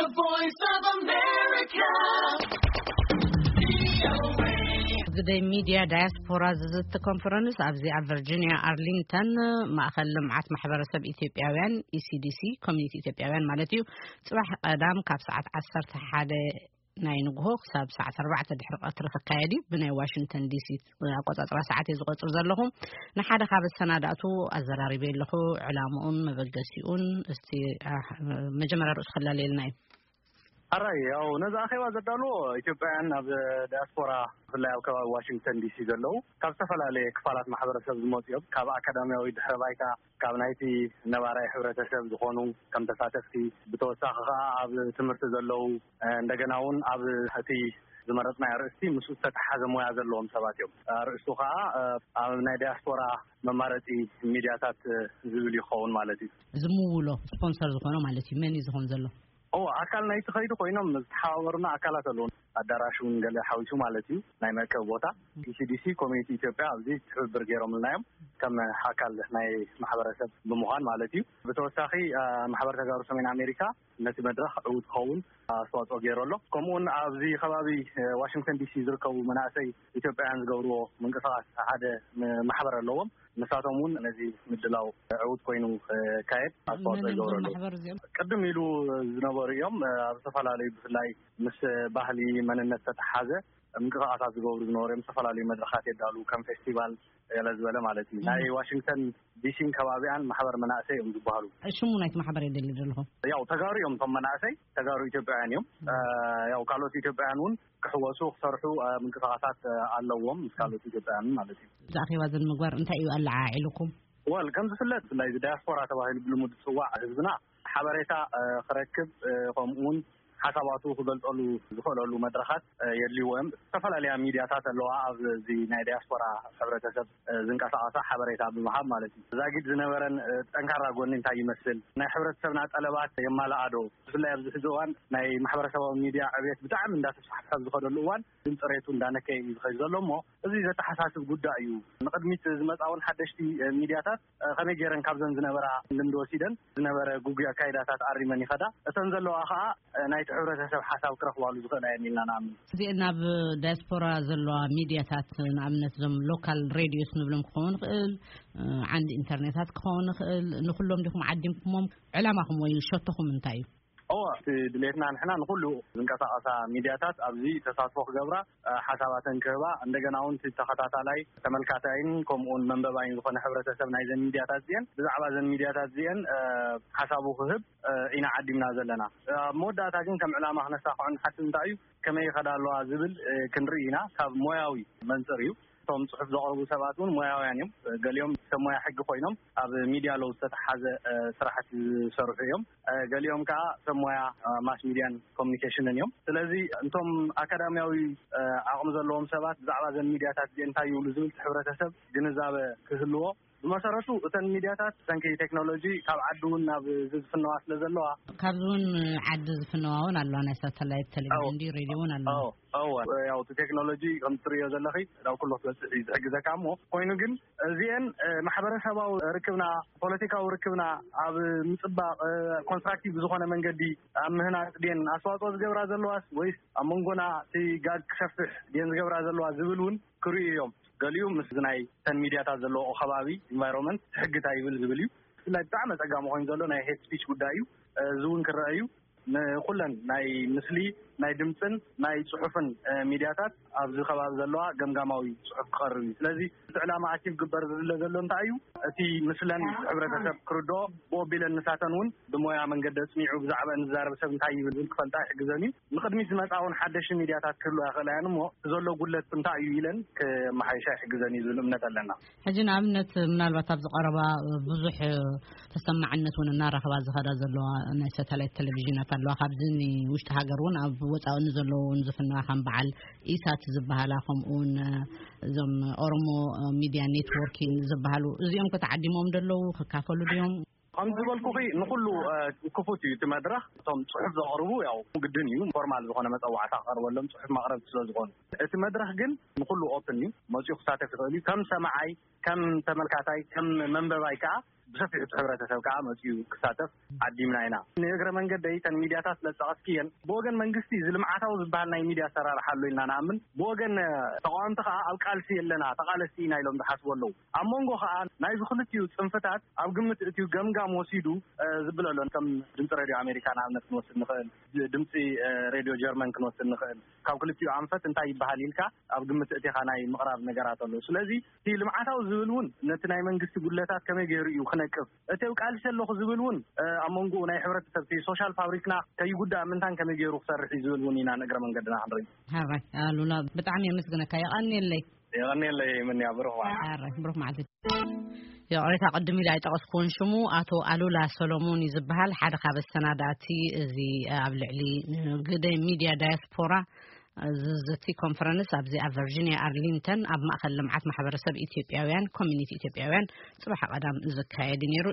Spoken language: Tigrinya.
The Voice of America. ግደይ ሚድያ ዳያስፖራ ዝዝቲ ኮንፈረንስ ኣብዚ ኣብ ቨርጂኒያ ኣርሊንግተን ማእኸል ልምዓት ማሕበረሰብ ኢትዮጵያውያን፣ ኢሲዲሲ፣ ኮሚኒቲ ኢትዮጵያውያን ማለት እዩ፣ ፅባሕ ቀዳም ካብ ሰዓት ዓሰርተ ሓደ ናይ ንግሆ ክሳብ ሰዓት ኣርባዕተ ድሕሪ ቀትሪ ክካየድ እዩ። ብናይ ዋሽንግተን ዲሲ ኣቆፃፅራ ሰዓት እየ ዝቆፅር ዘለኹ። ንሓደ ካብ ኣሰናዳእቱ ኣዘራሪበ ኣለኹ። ዕላምኡን መበገሲኡን እስቲ መጀመርያ ርእሱ ከላልየልና እዩ። ኣራይ፣ ያው ነዚ ኣኼባ ዘዳልዎ ኢትዮጵያውያን ኣብ ዳያስፖራ፣ ብፍላይ ኣብ ከባቢ ዋሽንግተን ዲሲ ዘለዉ፣ ካብ ዝተፈላለየ ክፋላት ማሕበረሰብ ዝመፁ እዮም። ካብ ኣካዳሚያዊ ድሕረ ባይታ፣ ካብ ናይቲ ነባራይ ሕብረተሰብ ዝኾኑ ከም ተሳተፍቲ፣ ብተወሳኺ ከዓ ኣብ ትምህርቲ ዘለዉ፣ እንደገና እውን ኣብ እቲ ዝመረፅናዮ ኣርእስቲ ምስኡ ዝተተሓሓዘ ሞያ ዘለዎም ሰባት እዮም። ኣርእስቱ ከዓ ኣብ ናይ ዳያስፖራ መማረፂ ሚድያታት ዝብል ይኸውን ማለት እዩ። ዝምውሎ ስፖንሰር ዝኾኖ ማለት እዩ። መን እዩ ዝኾን ዘሎ? ኦ፣ ኣካል ናይቲ ከይዱ ኮይኖም ዝተሓባበሩና ኣካላት ኣለዉ። ኣዳራሽ እውን ገለ ሓዊሱ ማለት እዩ፣ ናይ መእከቢ ቦታ። ኢሲዲሲ፣ ኮሚኒቲ ኢትዮጵያ ኣብዚ ትብብር ገይሮምልና እዮም፣ ከም ኣካል ናይ ማሕበረሰብ ብምዃን ማለት እዩ። ብተወሳኺ ማሕበር ተጋሩ ሰሜን ኣሜሪካ ነቲ መድረኽ ዕዉት ክኸውን ኣስተዋፅኦ ገይሩ ኣሎ። ከምኡውን ኣብዚ ከባቢ ዋሽንግተን ዲሲ ዝርከቡ መናእሰይ ኢትዮጵያውያን ዝገብርዎ ምንቅስቃስ ሓደ ማሕበር ኣለዎም። ንሳቶም እውን ነዚ ምድላው ዕዉት ኮይኑ ክካየድ ኣስተዋፅኦ ይገብሩ ኣለዉ። ቅድም ኢሉ ዝነበሩ እዮም። ኣብ ዝተፈላለዩ፣ ብፍላይ ምስ ባህሊ መንነት ዝተተሓዘ ምንቅስቃሳት ዝገብሩ ዝነበሩ እዮም። ዝተፈላለዩ መድረኻት የዳሉ፣ ከም ፌስቲቫል ገለ ዝበለ ማለት እዩ። ናይ ዋሽንግተን ዲሲን ከባቢኣን ማሕበር መናእሰይ እዮም ዝበሃሉ። ሽሙ ናይቲ ማሕበር የደሊ ዘለኹ። ያው ተጋሩ እዮም፣ እቶም መናእሰይ ተጋሩ ኢትዮጵያውያን እዮም። ያው ካልኦት ኢትዮጵያውያን እውን ክሕወሱ፣ ክሰርሑ ምንቅስቃሳት ኣለዎም፣ ምስ ካልኦት ኢትዮጵያውያን ማለት እዩ። እዚ ኣኼባ እዚ ንምግባር እንታይ እዩ ኣለዓዒልኩም? ወል፣ ከም ዝፍለጥ ብፍላይ እዚ ዳያስፖራ ተባሂሉ ብልሙድ ዝፅዋዕ ህዝብና ሓበሬታ ክረክብ፣ ከምኡውን ሓሳባቱ ክገልፀሉ ዝኽእለሉ መድረኻት የድልይዎ እዮም። ዝተፈላለያ ሚድያታት ኣለዋ ኣብዚ ናይ ዳያስፖራ ሕብረተሰብ ዝንቀሳቐሳ ሓበሬታ ብምሃብ ማለት እዩ። ዛጊድ ዝነበረን ጠንካራ ጎኒ እንታይ ይመስል፣ ናይ ሕብረተሰብና ጠለባት የማልኣዶ፣ ብፍላይ ኣብዚ ሕዚ እዋን ናይ ማሕበረሰባዊ ሚድያ ዕብየት ብጣዕሚ እንዳተስፋሕፈሐ ዝኸደሉ እዋን ግን ፅሬቱ እንዳነከየ እዩ ዝኸይድ ዘሎ እሞ እዚ ዘተሓሳስብ ጉዳይ እዩ። ንቕድሚት ዝመፃ እውን ሓደሽቲ ሚድያታት ከመይ ገይረን ካብዘን ዝነበራ ልምዲ ወሲደን ዝነበረ ጉጉይ ኣካይዳታት ኣሪመን ይኸዳ፣ እተን ዘለዋ ከዓ ናይቲ ሕብረተሰብ ሓሳብ ክረኽባሉ ዝኽእላ እየን ኢልና ንኣምን። እዚአን ናብ ዳያስፖራ ዘለዋ ሚድያታት፣ ንኣብነት እዞም ሎካል ሬድዮስ ንብሎም ክኸውን ይኽእል፣ ዓንዲ ኢንተርኔታት ክኸውን ይኽእል፣ ንኩሎም ዲኹም ዓዲምኩሞም? ዕላማኹም ወይ ሸቶኹም እንታይ እዩ? እወ፣ እቲ ድሌትና ንሕና ንኩሉ ዝንቀሳቐሳ ሚድያታት ኣብዚ ተሳትፎ ክገብራ፣ ሓሳባተን ክህባ፣ እንደገና እውን እቲ ተኸታታላይ ተመልካታይን ከምኡውን መንበባይን ዝኾነ ሕብረተሰብ ናይዘን ሚድያታት እዚአን ብዛዕባ ዘን ሚድያታት እዚአን ሓሳቡ ክህብ ኢና ዓዲምና ዘለና። ኣብ መወዳእታ ግን ከም ዕላማ ክነሳኽዖ ንሓስብ እንታይ እዩ፣ ከመይ ይኸዳ ኣለዋ ዝብል ክንርኢ ኢና። ካብ ሞያዊ መንፅር እዩ። እቶም ፅሑፍ ዘቕርቡ ሰባት እውን ሞያውያን እዮም። ገሊኦም ሰብ ሞያ ሕጊ ኮይኖም ኣብ ሚድያ ለው ዝተተሓዘ ስራሕቲ ዝሰርሑ እዮም። ገሊኦም ከዓ ሰብ ሞያ ማስ ሚድያን ኮሚኒኬሽንን እዮም። ስለዚ እንቶም ኣካዳሚያዊ ዓቕሚ ዘለዎም ሰባት ብዛዕባ ዘን ሚድያታት እዚአን እንታይ ይብሉ ዝብል እቲ ሕብረተሰብ ግንዛበ ክህልዎ፣ ብመሰረቱ እተን ሚድያታት ብሰንኪ ቴክኖሎጂ ካብ ዓዲ እውን ናብ ዝፍነዋ ስለ ዘለዋ፣ ካብዚ እውን ዓዲ ዝፍነዋ እውን ኣለዋ። ናይ ሳተላይት ቴሌቪዥን ድዩ ሬድዮ እውን ኣለዋ። እወ፣ ያው እቲ ቴክኖሎጂ ከም ትርእዮ ዘለኺ ናብ ኩሉ ክትበፅሕ እዩ ዝሕግዘካ። እሞ ኮይኑ ግን እዚአን ማሕበረሰባዊ ርክብና፣ ፖለቲካዊ ርክብና ኣብ ምፅባቕ፣ ኮንስትራክቲቭ ብዝኾነ መንገዲ ኣብ ምህናፅ ድየን ኣስተዋፅኦ ዝገብራ ዘለዋስ ወይስ ኣብ መንጎና እቲ ጋግ ክሰፍሕ ድየን ዝገብራ ዘለዋ ዝብል እውን ክርእዩ እዮም። ገሊኡ ምስ ናይ ተን ሚድያታት ዘለዎ ከባቢ፣ ኢንቫይሮንመንት፣ ሕጊ እንታይ ይብል ዝብል እዩ። ብፍላይ ብጣዕሚ ኣፀጋሚ ኮይኑ ዘሎ ናይ ሄት ስፒች ጉዳይ እዩ። እዚ እውን ክረአ እዩ። ንኩለን ናይ ምስሊ፣ ናይ ድምፅን ናይ ፅሑፍን ሚድያታት ኣብዚ ከባቢ ዘለዋ ገምጋማዊ ፅሑፍ ክቐርብ እዩ። ስለዚ እቲ ዕላማ ኣቺቭ ግበር ዝድለ ዘሎ እንታይ እዩ? እቲ ምስለን ሕብረተሰብ ክርድኦ፣ ብኦ ቢለን ንሳተን እውን ብሞያ መንገዲ ኣፅኒዑ ብዛዕባ ንዛረብ ሰብ እንታይ ይብል ዝብል ክፈልጣ ይሕግዘን እዩ። ንቕድሚት ዝመፃ እውን ሓደሽቲ ሚድያታት ክህልዋ ይኽእላ እየን እሞ፣ እቲ ዘሎ ጉድለት እንታይ እዩ ኢለን ከመሓይሻ ይሕግዘን እዩ ዝብል እምነት ኣለና። ሕጂ ንኣብነት ምናልባት ኣብዚ ቀረባ ብዙሕ ተሰማዕነት እውን እናረኸባ ዝኸዳ ዘለዋ ናይ ሳተላይት ቴሌቪዥናት ኣለዋ። ካብዚ ንውሽጢ ሃገር እውን ኣብ ወፃኢ ንዘለዉ እውን ዝፍነዋ ከም በዓል ኢሳት ዝበሃላ፣ ከምኡ እውን እዞም ኦሮሞ ሚድያ ኔትወርኪን ዝበሃሉ፣ እዚኦም ከተዓዲሞም ደለዉ ክካፈሉ ድዮም? ከም ዝበልኩኺ ንኹሉ ክፉት እዩ እቲ መድረኽ። እቶም ፅሑፍ ዘቕርቡ ያው ግድን እዩ ፎርማል ዝኾነ መፀዋዕታ ክቐርበሎም ፅሑፍ ማቕረብቲ ስለ ዝኾኑ፣ እቲ መድረኽ ግን ንኹሉ ኦፕን እዩ። መፂኡ ክሳተፍ ይኽእል እዩ። ከም ሰማዓይ፣ ከም ተመልካታይ፣ ከም መንበባይ ከዓ ብሰፊሑ እቲ ሕብረተሰብ ከዓ መፅኡ ክሳተፍ ዓዲምና ኢና። ንእግረ መንገደይ እተን ሚድያታት ስለዝጠቐስክየን፣ ብወገን መንግስቲ እዚ ልምዓታዊ ዝበሃል ናይ ሚድያ ኣሰራርሓ ኣሎ ኢልና ንኣምን። ብወገን ተቃወምቲ ከዓ ኣብ ቃልሲ የለና፣ ተቃለስቲ ኢና ኢሎም ዝሓስቡ ኣለዉ። ኣብ መንጎ ከዓ ናይዚ ክልቲኡ ፅንፍታት ኣብ ግምት እትዩ ገምጋም ወሲዱ ዝብለሎን ከም ድምፂ ሬድዮ ኣሜሪካ ንኣብነት ክንወስድ ንኽእል፣ ድምፂ ሬድዮ ጀርመን ክንወስድ ንኽእል። ካብ ክልቲኡ ኣንፈት እንታይ ይበሃል ኢልካ ኣብ ግምት እቲኻ ናይ ምቕራብ ነገራት ኣሎ። ስለዚ እቲ ልምዓታዊ ዝብል እውን ነቲ ናይ መንግስቲ ጉድለታት ከመይ ገይሩ እዩ ክነቅፍ፣ እቲ ቃልሲ ኣለኹ ዝብል እውን ኣብ መንጎ ናይ ሕብረተሰብ እቲ ሶሻል ፋብሪክና ከይጉዳእ ምንታን ከመይ ገይሩ ክሰርሕ እዩ ዝብል እውን ኢና ንእግረ መንገድና ክንርኢ። ሃራይ ኣሉላ፣ ብጣዕሚ የመስግነካ። የቐንየለይ። የቐንየለይ። ምን ያብርኹ። ሃራይ ብሩኽ መዓልቲ። ይቕሬታ፣ ቅድም ኢለ ኣይጠቐስኩዎን ሽሙ። ኣቶ ኣሉላ ሰሎሞን እዩ ዝበሃል። ሓደ ካብ ኣሰናዳእቲ እዚ ኣብ ልዕሊ ግደ ሚድያ ዳያስፖራ ዝዝቲ ኮንፈረንስ ኣብዚ ኣብ ቨርጂኒያ ኣርሊንተን ኣብ ማእከል ልምዓት ማሕበረሰብ ኢትዮጵያውያን ኮሚኒቲ ኢትዮጵያውያን ጽባሕ ቀዳም ዝካየድ እዩ ነይሩ።